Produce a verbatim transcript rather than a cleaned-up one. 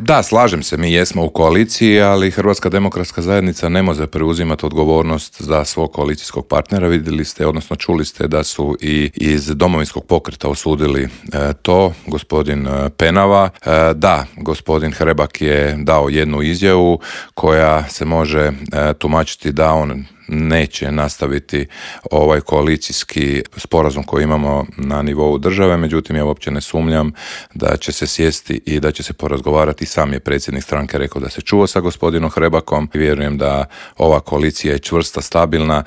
Da, slažem se, mi jesmo u koaliciji, ali Hrvatska demokratska zajednica ne može preuzimati odgovornost za svog koalicijskog partnera. Vidjeli ste, odnosno čuli ste da su i iz Domovinskog pokreta osudili e, to, gospodin e, Penava. E, da, gospodin Hrebak je dao jednu izjavu koja se može e, tumačiti da on neće nastaviti ovaj koalicijski sporazum koji imamo na nivou države, međutim ja uopće ne sumnjam da će se sjesti i da će se porazgovarati. Sam je predsjednik stranke rekao da se čuo sa gospodinom Hrebakom. Vjerujem da ova koalicija je čvrsta, stabilna